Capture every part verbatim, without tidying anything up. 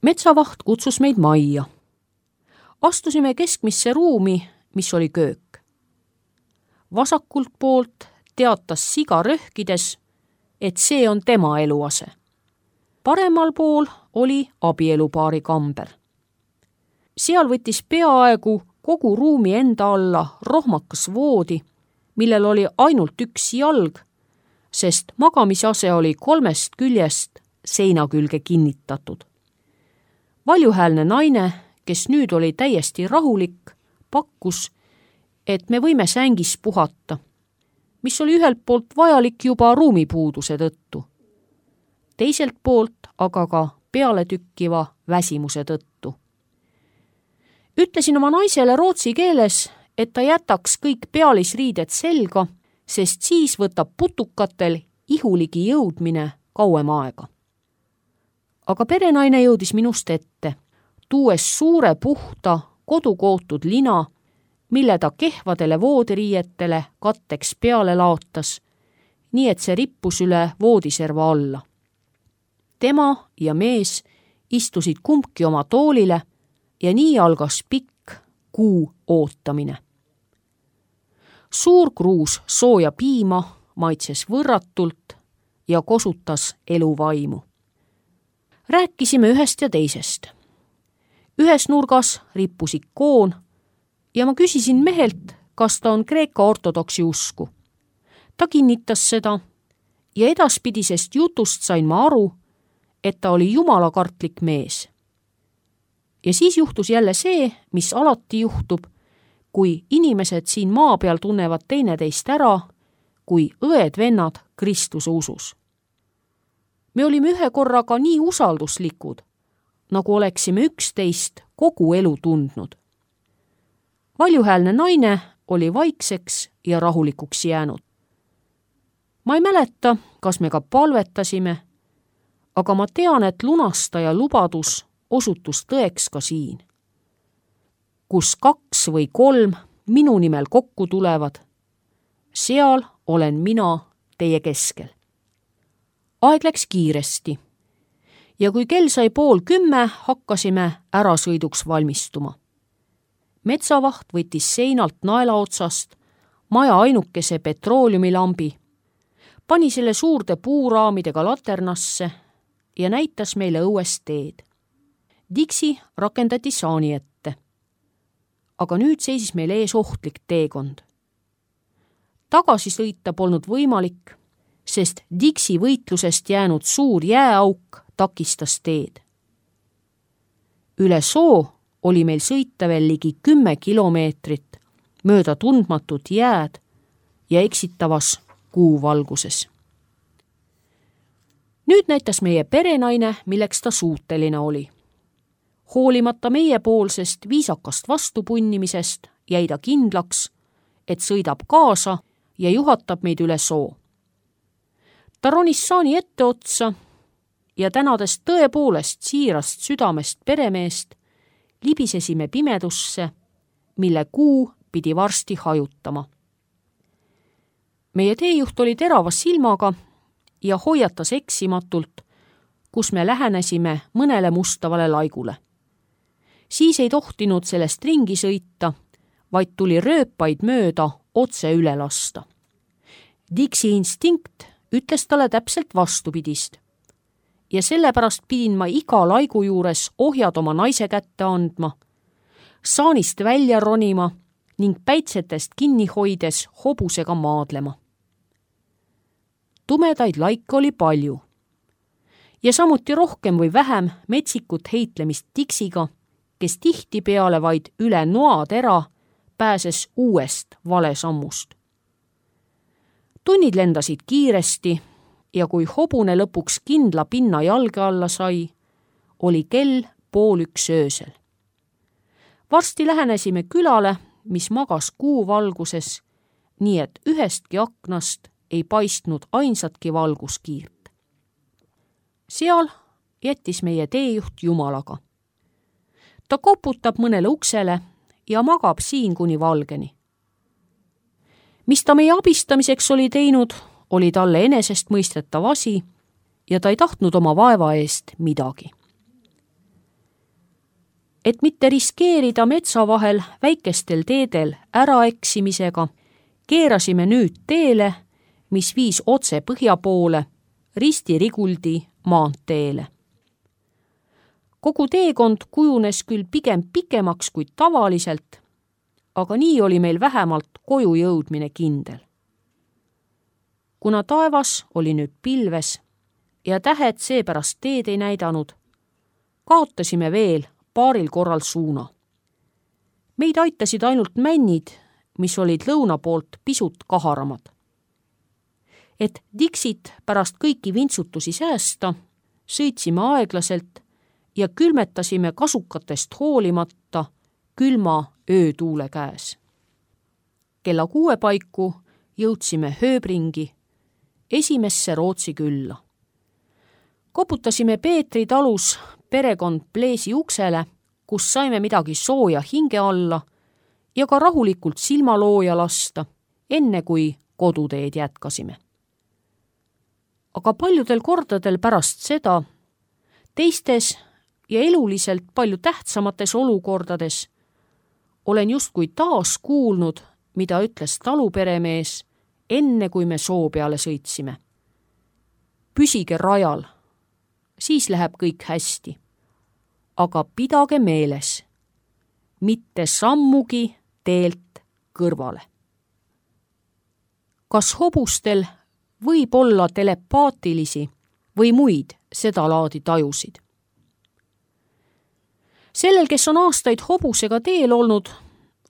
Metsavaht kutsus meid majja. Astusime keskmisse ruumi, mis oli köök. Vasakult poolt teatas siga röhkides, et see on tema eluase. Paremal pool oli abielupaari kamber. Seal võttis peaaegu kogu ruumi enda alla rohmakas voodi, millel oli ainult üks jalg, sest magamisase oli kolmest küljest seina külge kinnitatud. Valjuhäälne naine, kes nüüd oli täiesti rahulik, pakkus, et me võime sängis puhata, mis oli ühelt poolt vajalik juba ruumipuuduse tõttu, teiselt poolt aga ka pealetükkiva väsimuse tõttu. Ütlesin oma naisele rootsi keeles, et ta jätaks kõik pealisriided selga, sest siis võtab putukatel ihuligi jõudmine kauem aega. Aga perenaine jõudis minust ette, tuues suure puhta kodukootud lina, mille ta kehvadele voodiriietele katteks peale laotas, nii et see rippus üle voodiserva alla. Tema ja mees istusid kumbki oma toolile ja nii algas pikk kuu ootamine. Suur kruus sooja piima maitses võrratult ja kosutas eluvaimu. Rääkisime ühest ja teisest. Ühes nurgas rippus ikoon ja ma küsisin mehelt, kas ta on Kreeka ortodoksi usku. Ta kinnitas seda ja edaspidisest jutust sain ma aru, et ta oli jumalakartlik mees. Ja siis juhtus jälle see, mis alati juhtub, kui inimesed siin maa peal tunnevad teineteist ära, kui õed-vennad Kristuse usus. Me olime ühe korraga nii usalduslikud, nagu oleksime üksteist kogu elu tundnud. Valjuhäälne naine oli vaikseks ja rahulikuks jäänud. Ma ei mäleta, kas me ka palvetasime, aga ma tean, et lunastaja lubadus osutus tõeks ka siin. Kus kaks või kolm minu nimel kokku tulevad, seal olen mina teie keskel. Aeg läks kiiresti ja kui kell sai pool kümme, hakkasime ärasõiduks valmistuma. Metsavaht võttis seinalt naela otsast maja ainukese petrooliumilambi, pani selle suurde puuraamidega laternasse ja näitas meile õuest teed. Dixi rakendati saani ette. Aga nüüd seisis meil ees ohtlik teekond. Tagasi sõita polnud võimalik, sest Dixi võitlusest jäänud suur jääauk takistas teed. Üle soo oli meil sõita veel ligi kümme kilomeetrit mööda tundmatut jääd ja eksitavas kuuvalguses. Nüüd näitas meie perenaine, milleks ta suuteline oli. Hoolimata meiepoolsest viisakast vastupunnimisest jäi ta kindlaks, et sõidab kaasa ja juhatab meid üle soo. Ta ronis saani ette otsa ja tänades tõepoolest siirast südamest peremeest, libisesime pimedusse, mille kuu pidi varsti hajutama. Meie teejuht oli terava silmaga ja hoiatas eksimatult, kus me lähenesime mõnele mustavale laigule. Siis ei tohtinud sellest ringi sõita, vaid tuli rööpaid mööda otse üle lasta. Dixi instinkt ütles talle täpselt vastupidist ja sellepärast pidin ma iga laigu juures ohjad oma naise kätte andma, saanist välja ronima ning päitsetest kinni hoides hobusega maadlema. Tumedaid laike oli palju ja samuti rohkem või vähem metsikut heitlemist Dixiga, kes tihtipeale vaid üle noatera pääses uuest valesammust. Tunnid lendasid kiiresti ja kui hobune lõpuks kindla pinna jalge alla sai, oli kell pool üks öösel. Varsti lähenesime külale, mis magas kuuvalguses, nii et ühestki aknast ei paistnud ainsatki valguskiirt. Seal jättis meie teejuht Jumalaga. Ta koputab mõnele uksele ja magab siin kuni valgeni. Mis ta meie abistamiseks oli teinud, oli talle enesestmõistetav asi ja ta ei tahtnud oma vaeva eest midagi. Et mitte riskeerida metsa vahel väikestel teedel äraeksimisega, keerasime nüüd teele, mis viis otse põhja poole, Risti-Riguldi maanteele. Kogu teekond kujunes küll pigem pikemaks kui tavaliselt, aga nii oli meil vähemalt koju jõudmine kindel. Kuna taevas oli nüüd pilves ja tähed seepärast teed ei näidanud, kaotasime veel paaril korral suuna. Meid aitasid ainult männid, mis olid lõuna poolt pisut kaharamad. Et Dixit pärast kõiki vintsutusi säästa, sõitsime aeglaselt ja külmetasime kasukatest hoolimata külma öötuule käes. Kella kuue paiku jõudsime Hööbringi, esimesse Rootsi külla. Koputasime Peetri talus perekond Pleesi uksele, kus saime midagi sooja hinge alla ja ka rahulikult silmalooja lasta, enne kui koduteed jätkasime. Aga paljudel kordadel pärast seda, teistes ja eluliselt palju tähtsamates olukordades, olen justkui taas kuulnud, mida ütles taluperemees, enne kui me soo peale sõitsime. Püsige rajal, siis läheb kõik hästi. Aga pidage meeles, mitte sammugi teelt kõrvale. Kas hobustel võib olla telepaatilisi või muid seda laadi tajusid? Sellel, kes on aastaid hobusega teel olnud,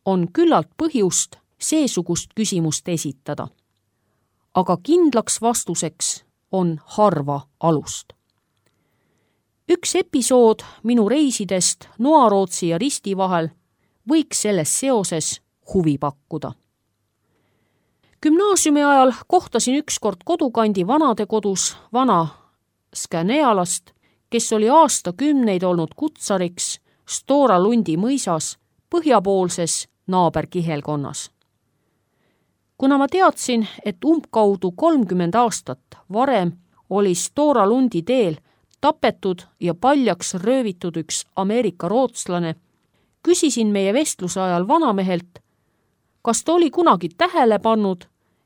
on küllalt põhjust seesugust küsimust esitada. Aga kindlaks vastuseks on harva alust. Üks episood minu reisidest Noarootsi ja Risti vahel võiks selles seoses huvi pakkuda. Gümnaasiumi ajal kohtasin ükskord kodukandi vanadekodus vana Skanealast, kes oli aastakümneid olnud kutsariks Stora Lundi mõisas põhjapoolses naaberkihelkonnas. Kuna ma teadsin, et umbkaudu kolmkümmend aastat varem oli Stora Lundi teel tapetud ja paljaks röövitud üks Ameerika rootslane, küsisin meie vestluse ajal vanamehelt, kas ta oli kunagi tähele pannud,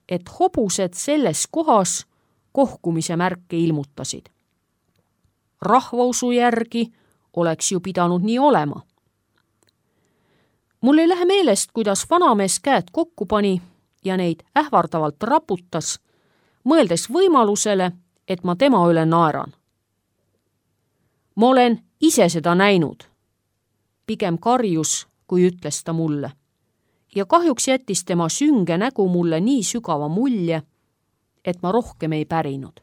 et hobused selles kohas kohkumise märke ilmutasid. Rahvausu järgi oleks ju pidanud nii olema. Mul ei lähe meelest, kuidas vanamees käed kokku pani ja neid ähvardavalt raputas, mõeldes võimalusele, et ma tema üle naeran. Ma olen ise seda näinud, pigem karjus, kui ütles ta mulle. Ja kahjuks jättis tema sünge nägu mulle nii sügava mulje, et ma rohkem ei pärinud.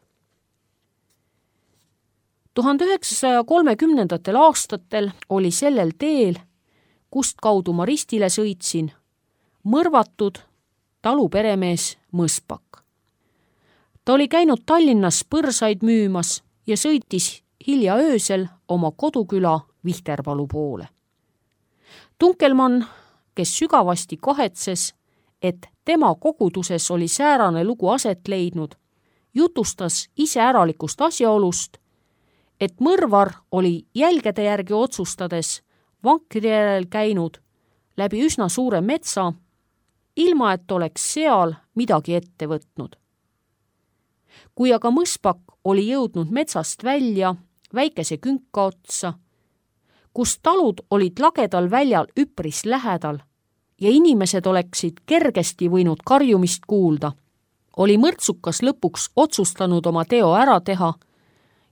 tuhande üheksasaja kolmekümnendatel aastatel oli sellel teel, kust kaudu ma Ristile sõitsin, mõrvatud taluperemees Mõspak. Ta oli käinud Tallinnas põrsaid müümas ja sõitis hilja öösel oma koduküla Vihterpalu poole. Tunkelmann, kes sügavasti kahetses, et tema koguduses oli säärane lugu aset leidnud, jutustas iseäralikust asjaolust, et mõrvar oli jälgede järgi otsustades vankri järel käinud läbi üsna suure metsa, ilma et oleks seal midagi ette võtnud. Kui aga Mõspak oli jõudnud metsast välja väikese künka otsa, kus talud olid lagedal väljal üpris lähedal ja inimesed oleksid kergesti võinud karjumist kuulda, oli mõrtsukas lõpuks otsustanud oma teo ära teha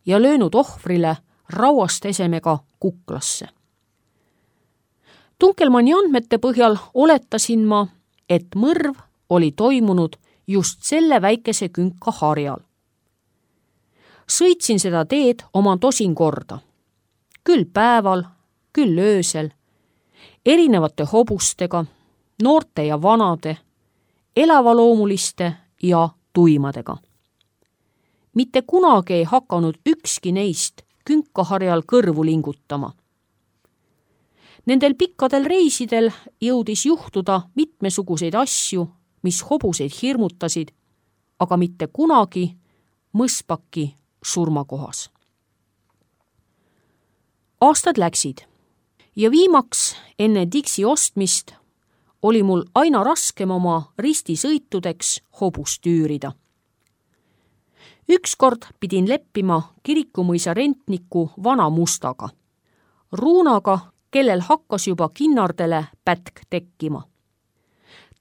ja löönud ohvrile rauast esemega kuklasse. Tunkelmanni andmete põhjal oletasin ma, et mõrv oli toimunud just selle väikese künka harjal. Sõitsin seda teed oma tosin korda, küll päeval, küll öösel, erinevate hobustega, noorte ja vanade, elavaloomuliste ja tuimadega. Mitte kunagi ei hakanud ükski neist künkaharjal kõrvu lingutama. Nendel pikkadel reisidel jõudis juhtuda mitmesuguseid asju, mis hobuseid hirmutasid, aga mitte kunagi Mõspaki surmakohas. Aastad läksid ja viimaks enne Dixi ostmist oli mul aina raskem oma ristisõitudeks hobust üürida. Ükskord pidin leppima Kirikumõisa rentniku Vana Mustaga, Ruunaga, kellel hakkas juba kinnardele pätk tekkima.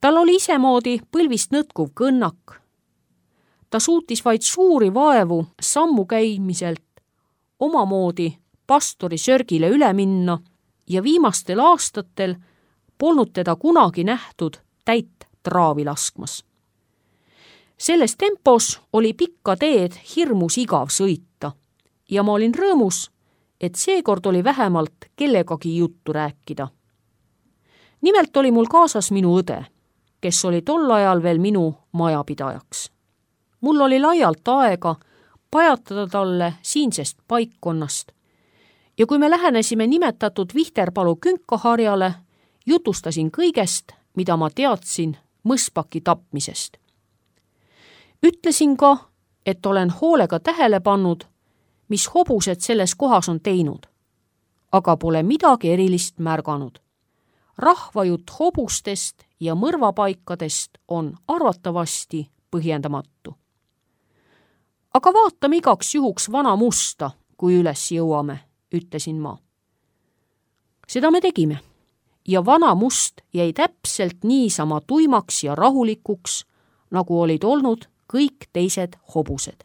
Tal oli isemoodi põlvist nõtkuv kõnnak. Ta suutis vaid suuri vaevu sammu käimiselt omamoodi pastori sörgile üle minna ja viimastel aastatel polnud teda kunagi nähtud täit traavi laskmas. Selles tempos oli pikka teed hirmus igav sõita ja ma olin rõõmus, et seekord oli vähemalt kellegagi juttu rääkida. Nimelt oli mul kaasas minu õde, kes oli tol ajal veel minu majapidajaks. Mul oli laialt aega pajatada talle siinsest paikkonnast ja kui me lähenesime nimetatud Vihterpalu künkaharjale, jutustasin kõigest, mida ma teadsin mõspaki tapmisest. Ütlesin ka, et olen hoolega tähele pannud, mis hobused selles kohas on teinud, aga pole midagi erilist märganud. Rahvajutt hobustest ja mõrvapaikadest on arvatavasti põhjendamatu. Aga vaatame igaks juhuks Vana Musta, kui üles jõuame, ütlesin ma. Seda me tegime ja Vana Must jäi täpselt niisama tuimaks ja rahulikuks, nagu olid olnud kõik teised hobused.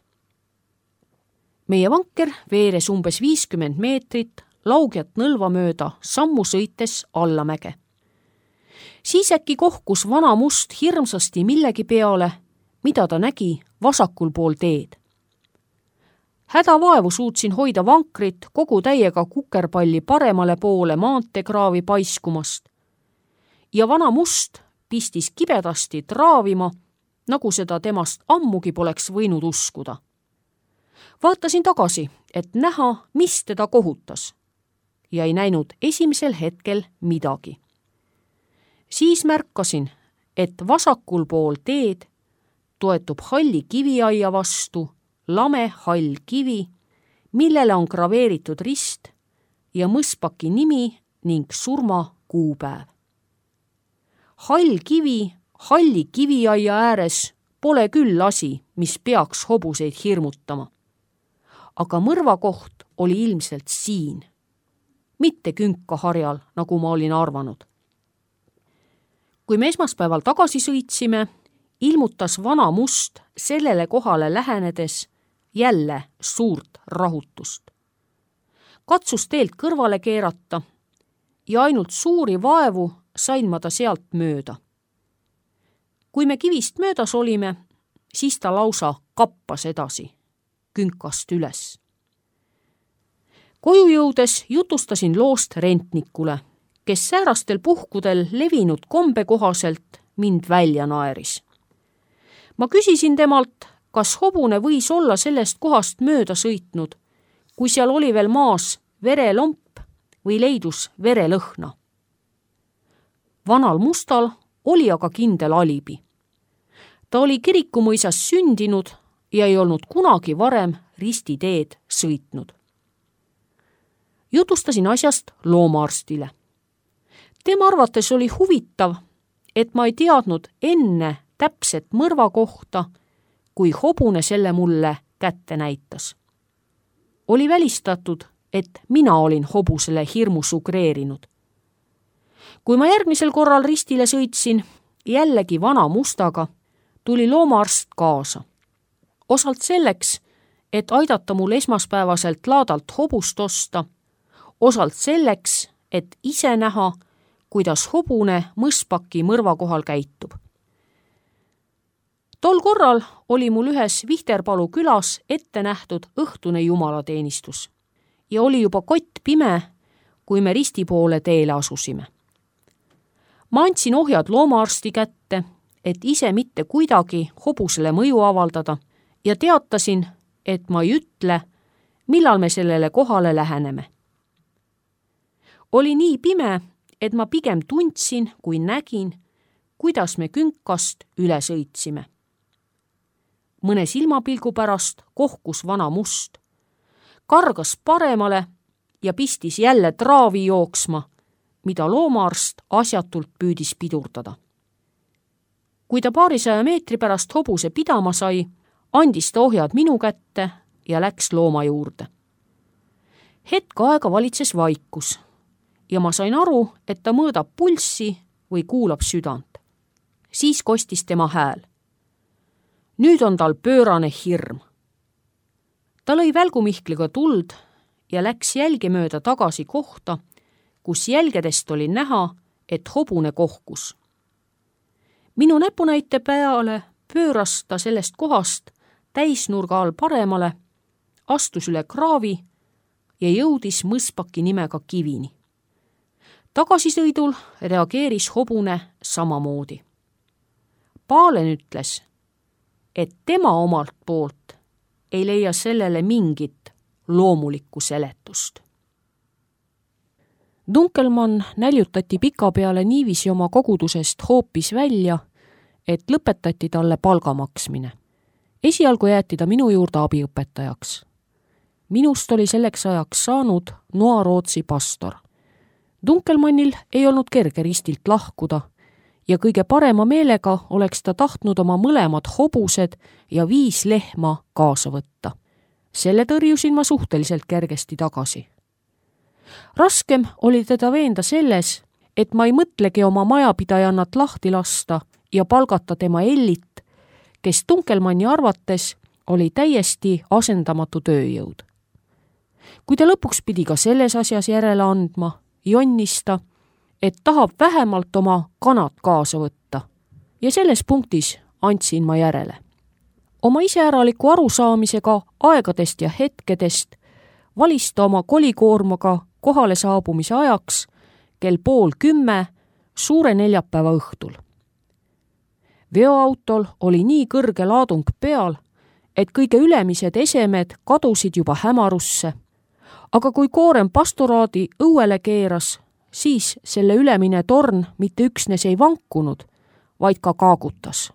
Meie vanker veeres umbes viiskümmend meetrit laugjat nõlva mööda sammu sõites allamäge. Siis äkki kohkus Vana Must hirmsasti millegi peale, mida ta nägi vasakul pool teed. Hädavaevu suutsin hoida vankrit kogu täiega kukerpalli paremale poole maanteekraavi paiskumast ja Vana Must pistis kibedasti traavima, nagu seda temast ammugi poleks võinud uskuda. Vaatasin tagasi, et näha, mis teda kohutas ja ei näinud esimesel hetkel midagi. Siis märkasin, et vasakul pool teed toetub halli kiviaia vastu lame hall kivi, millele on graveeritud rist ja mõspaki nimi ning surma kuupäev. Hall kivi halli kiviaia ääres pole küll asi, mis peaks hobuseid hirmutama. Aga mõrvakoht oli ilmselt siin, mitte künkaharjal, nagu ma olin arvanud. Kui me esmaspäeval tagasi sõitsime, ilmutas Vana Must sellele kohale lähenedes jälle suurt rahutust. Katsus teelt kõrvale keerata ja ainult suuri vaevu sain ma ta sealt mööda. Kui me kivist möödas olime, siis ta lausa kappas edasi, künkast üles. Koju jõudes jutustasin loost rentnikule, kes säärastel puhkudel levinud kombe kohaselt mind välja naeris. Ma küsisin temalt, kas hobune võis olla sellest kohast mööda sõitnud, kui seal oli veel maas verelomp või leidus verelõhna. Vanal Mustal oli aga kindel alibi. Ta oli Kirikumõisas sündinud ja ei olnud kunagi varem ristiteed sõitnud. Jutustasin asjast loomaarstile. Tema arvates oli huvitav, et ma ei teadnud enne täpset mõrva kohta, kui hobune selle mulle kätte näitas. Oli välistatud, et mina olin hobusele hirmu sugreerinud. Kui ma järgmisel korral ristile sõitsin, jällegi Vana Mustaga, tuli loomaarst kaasa. Osalt selleks, et aidata mul esmaspäevaselt laadalt hobust osta, osalt selleks, et ise näha, kuidas hobune mõspaki mõrva kohal käitub. Tol korral oli mul ühes Vihterpalu külas ette nähtud õhtune jumalateenistus ja oli juba kott pime, kui me risti poole teele asusime. Ma andsin ohjad loomaarsti kätte, et ise mitte kuidagi hobusele mõju avaldada ja teatasin, et ma ei ütle, millal me sellele kohale läheneme. Oli nii pime, et ma pigem tundsin, kui nägin, kuidas me künkast üle sõitsime. Mõne silmapilgu pärast kohkus Vana Must, kargas paremale ja pistis jälle traavi jooksma, mida loomaarst asjatult püüdis pidurdada. Kui ta paarisaja meetri pärast hobuse pidama sai, andis ta ohjad minu kätte ja läks looma juurde. Hetk aega valitses vaikus ja ma sain aru, et ta mõõdab pulssi või kuulab südant. Siis kostis tema hääl. Nüüd on tal pöörane hirm. Ta lõi välgumihkliga tuld ja läks jälge mööda tagasi kohta, kus jälgedest oli näha, et hobune kohkus. Minu näpunäite peale pööras ta sellest kohast täisnurga all paremale, astus üle kraavi ja jõudis mõspaki nimega Kivini. Tagasisõidul reageeris hobune samamoodi. Paalen ütles, et tema omalt poolt ei leia sellele mingit loomulikku seletust. Dunkelmann näljutati pika peale niiviisi oma kogudusest hoopis välja, et lõpetati talle palga maksmine. Esialgu jäeti ta minu juurde abiõpetajaks. Minust oli selleks ajaks saanud Noa-Rootsi pastor. Dunkelmannil ei olnud kerge ristilt lahkuda ja kõige parema meelega oleks ta tahtnud oma mõlemad hobused ja viis lehma kaasa võtta. Selle tõrjusin ma suhteliselt kergesti tagasi. Raskem oli teda veenda selles, et ma ei mõtlegi oma majapidajannat lahti lasta ja palgata tema Ellit, kes Dunkelmanni arvates oli täiesti asendamatu tööjõud. Kui ta lõpuks pidi ka selles asjas järele andma, jonnis ta, et tahab vähemalt oma kanad kaasa võtta ja selles punktis andsin ma järele. Oma iseäraliku arusaamisega aegadest ja hetkedest valis ta oma kolikoormaga kohale saabumise ajaks kell pool kümme suure neljapäeva õhtul. Veoautol oli nii kõrge laadung peal, et kõige ülemised esemed kadusid juba hämarusse, aga kui koorem pastoraadi õuele keeras, siis selle ülemine torn mitte üksnes ei vankunud, vaid ka kaagutas.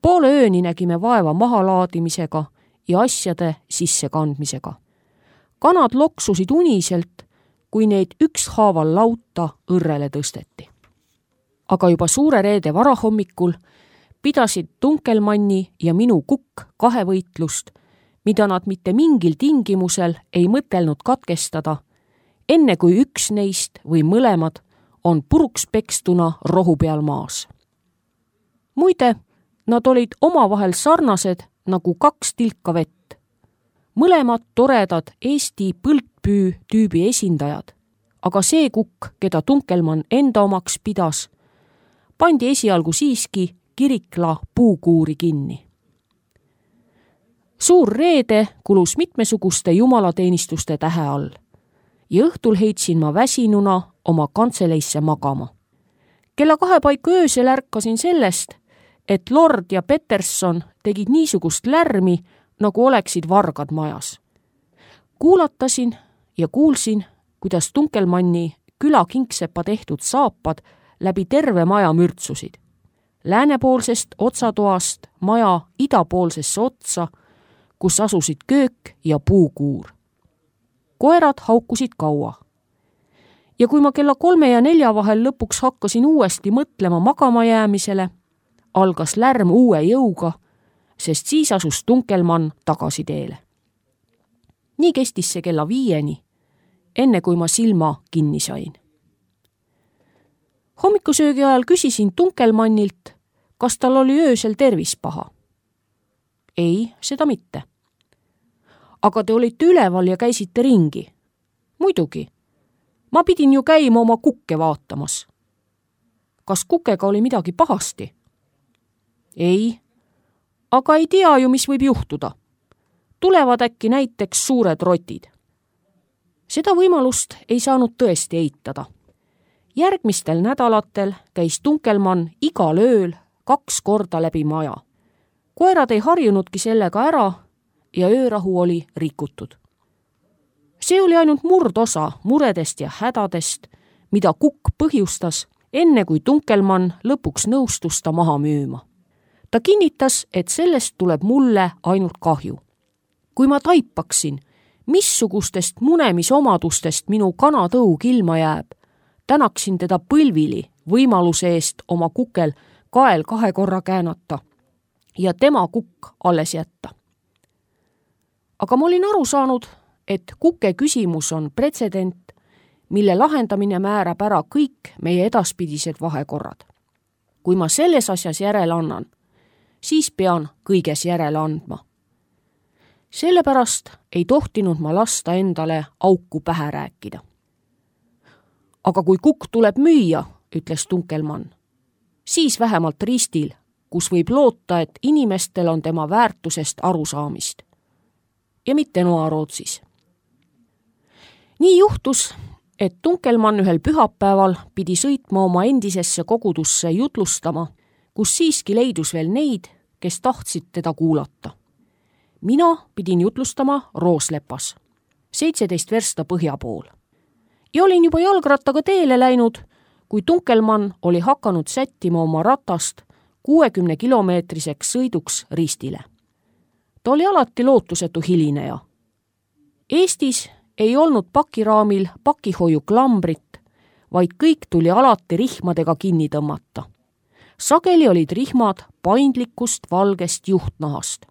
Poole ööni nägime vaeva mahalaadimisega ja asjade sissekandmisega. Kanad loksusid uniselt, kui neid ükshaaval lauta õrrele tõsteti. Aga juba suure reede varahommikul pidasid Dunkelmanni ja minu kukk kahevõitlust, mida nad mitte mingil tingimusel ei mõtelnud katkestada, enne kui üks neist või mõlemad on puruks pekstuna rohu peal maas. Muide, nad olid omavahel sarnased nagu kaks tilka vett. Mõlemad toredad Eesti põldpüü tüübi esindajad, aga see kukk, keda Dunkelmann enda omaks pidas, pandi esialgu siiski Kirikla puukuuri kinni. Suur reede kulus mitmesuguste jumalateenistuste tähe all ja õhtul heitsin ma väsinuna oma kantseleisse magama. Kella kahe paiku öösel ärkasin sellest, et Lord ja Peterson tegid niisugust lärmi, nagu oleksid vargad majas. Kuulatasin ja kuulsin, kuidas Dunkelmanni küla kingsepa tehtud saapad läbi terve maja mürtsusid. Läänepoolsest otsatoast maja idapoolsesse otsa, kus asusid köök ja puukuur. Koerad haukusid kaua. Ja kui ma kella kolme ja nelja vahel lõpuks hakkasin uuesti mõtlema magama jäämisele, algas lärm uue jõuga, sest siis asus Dunkelmann tagasi teele. Nii kestis see kella viieni, enne kui ma silma kinni sain. Hommikusöögi ajal küsisin Dunkelmannilt, kas tal oli öösel tervis paha. Ei, seda mitte. Aga te olite üleval ja käisite ringi. Muidugi. Ma pidin ju käima oma kukke vaatamas. Kas kukega oli midagi pahasti? Ei, aga ei tea ju, mis võib juhtuda. Tulevad äkki näiteks suured rotid. Seda võimalust ei saanud tõesti eitada. Järgmistel nädalatel käis Dunkelmann igal ööl kaks korda läbi maja. Koerad ei harjunudki sellega ära ja öörahu oli rikutud. See oli ainult murdosa muredest ja hädadest, mida kukk põhjustas, enne kui Dunkelmann lõpuks nõustus ta maha müüma. Ta kinnitas, et sellest tuleb mulle ainult kahju. Kui ma taipaksin, missugustest munemisomadustest minu kanatõug ilma jääb, tänaksin teda põlvili võimaluse eest oma kukel kael kahe korra käänata ja tema kukk alles jätta. Aga ma olin aru saanud, et kuke küsimus on pretsedent, mille lahendamine määrab ära kõik meie edaspidised vahekorrad. Kui ma selles asjas järele annan, siis pean kõiges järele andma. Sellepärast ei tohtinud ma lasta endale auku pähe rääkida. Aga kui kukk tuleb müüa, ütles Tunkelmann, siis vähemalt ristil, kus võib loota, et inimestel on tema väärtusest arusaamist. Ja mitte Noa-Rootsis. Nii juhtus, et Tunkelmann ühel pühapäeval pidi sõitma oma endisesse kogudusse jutlustama, kus siiski leidus veel neid, kes tahtsid teda kuulata. Mina pidin jutlustama Rooslepas, seitseteist versta põhja pool. Ja olin juba jalgrattaga teele läinud, kui Tunkelmann oli hakanud sättima oma ratast kuuekümne kilomeetriseks sõiduks ristile. Ta oli alati lootusetu hilineja. Eestis ei olnud pakiraamil pakihoiu klambrit, vaid kõik tuli alati rihmadega kinni tõmmata. Sageli olid rihmad paindlikust valgest juhtnahast.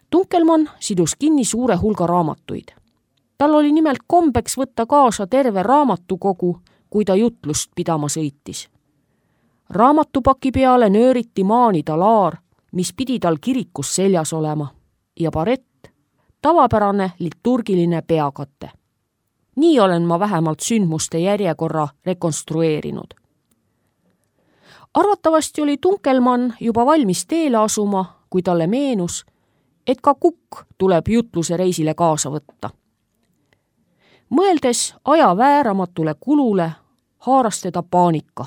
Tunkelmann sidus kinni suure hulga raamatuid. Tal oli nimelt kombeks võtta kaasa terve raamatukogu, kui ta jutlust pidama sõitis. Raamatupaki peale nööriti maanida laar, mis pidi tal kirikus seljas olema, ja barett, tavapärane liturgiline peakate. Nii olen ma vähemalt sündmuste järjekorra rekonstrueerinud. Arvatavasti oli Tunkelmann juba valmis teele asuma, kui talle meenus, et ka kukk tuleb jutluse reisile kaasa võtta. Mõeldes aja vääramatule kulule, haaras teda paanika.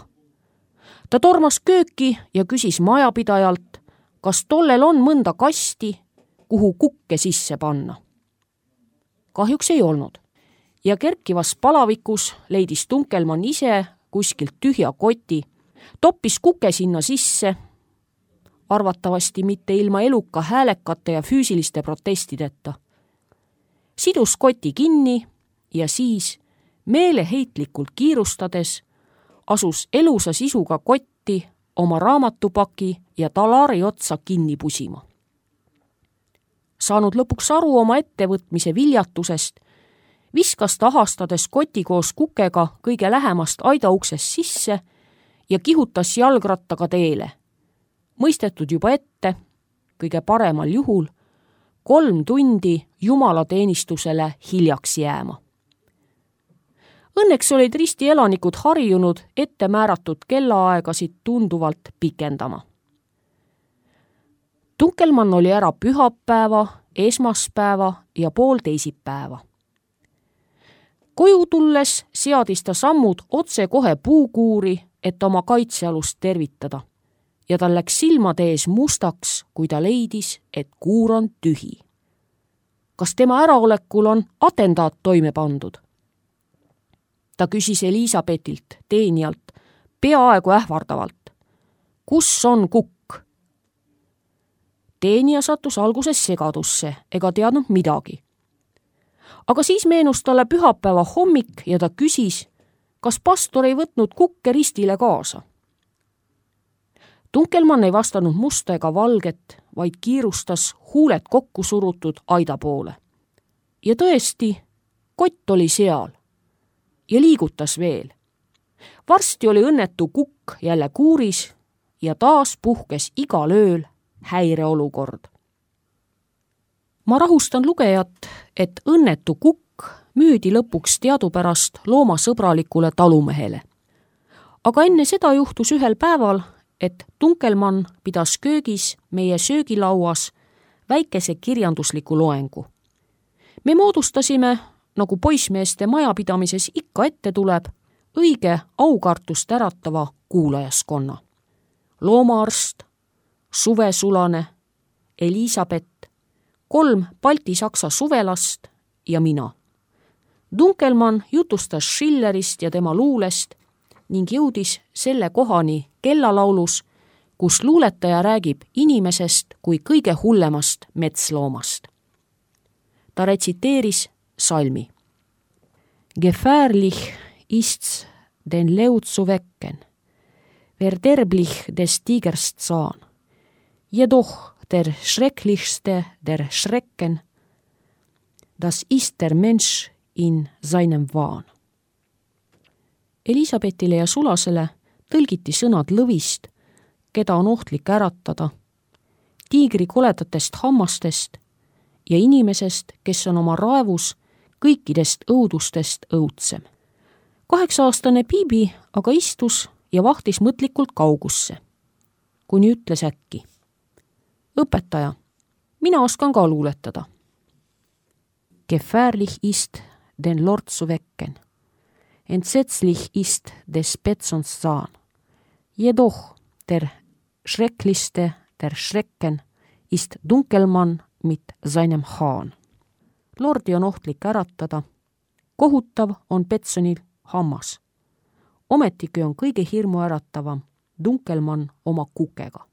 Ta tormas kööki ja küsis majapidajalt, kas tollel on mõnda kasti, kuhu kukke sisse panna. Kahjuks ei olnud ja kerkivas palavikus leidis Tunkelmann ise kuskilt tühja koti, toppis kuke sinna sisse, arvatavasti mitte ilma eluka häälekate ja füüsiliste protestideta. Sidus koti kinni ja siis, meeleheitlikult kiirustades, asus elusa sisuga kotti oma raamatupaki ja talari otsa kinni pusima. Saanud lõpuks aru oma ettevõtmise viljatusest, viskas ta ahastades koti koos kukega kõige lähemast aidauksest sisse ja kihutas jalgrattaga teele. Mõistetud juba ette, kõige paremal juhul, kolm tundi jumalateenistusele hiljaks jääma. Õnneks olid risti elanikud harjunud ette määratud kellaaegasid tunduvalt pikendama. Tunkelmann oli ära pühapäeva, esmaspäeva ja pool teisipäeva. Koju tulles seadis ta sammud otse kohe puukuuri, et oma kaitsealust tervitada. Ja tal läks silmade ees mustaks, kui ta leidis, et kuur on tühi. Kas tema äraolekul on atendaat toime pandud? Ta küsis Elisabetilt, teenijalt, peaaegu ähvardavalt. Kus on kukk? Teenija sattus alguses segadusse ega teadnud midagi. Aga siis meenus talle pühapäeva hommik ja ta küsis, kas pastor ei võtnud kukke ristile kaasa. Tunkelmann ei vastanud musta ega valget, vaid kiirustas huuled kokku surutud aida poole. Ja tõesti, kott oli seal ja liigutas veel. Varsti oli õnnetu kukk jälle kuuris ja taas puhkes igal ööl häireolukord. Ma rahustan lugejat, et õnnetu kukk müüdi lõpuks teadupärast loomasõbralikule talumehele. Aga enne seda juhtus ühel päeval, et Tunkelmann pidas köögis meie söögilauas väikese kirjandusliku loengu. Me moodustasime, nagu poissmeeste majapidamises ikka ette tuleb, õige aukartust äratava kuulajaskonna. Loomaarst, Suvesulane, Elisabet, kolm balti-saksa suvelast ja mina. Tunkelmann jutustas Schillerist ja tema luulest ning jõudis selle kohani kellalaulus, kus luuletaja räägib inimesest kui kõige hullemast metsloomast. Ta retsiteeris salmi. Gefährlich ist's den Leut zu wecken. Verderblich des Tigers Zahn. Jedoch der schrecklichste der Schrecken, das ist der Mensch in seinem Wahn. Elisabethile ja Sulasele tõlgiti sõnad lõvist, keda on ohtlik äratada, tiigri koledatest hammastest ja inimesest, kes on oma raevus kõikidest õudustest õudsem. Kaheksa-aastane Bibi aga istus ja vahtis mõtlikult kaugusse, kuni ütles äkki: õpetaja, mina oskan ka luuletada. Gefährlich ist den Lord zu wecken. Entsetzlich ist des Betsons Zahn. Jedoch der schrecklichste der Schrecken ist Dunkelmann mit seinem Hahn. Lordi on ohtlik äratada. Kohutav on Betsonil hammas. Ometigi on kõige hirmu äratavam Dunkelmann oma kukega.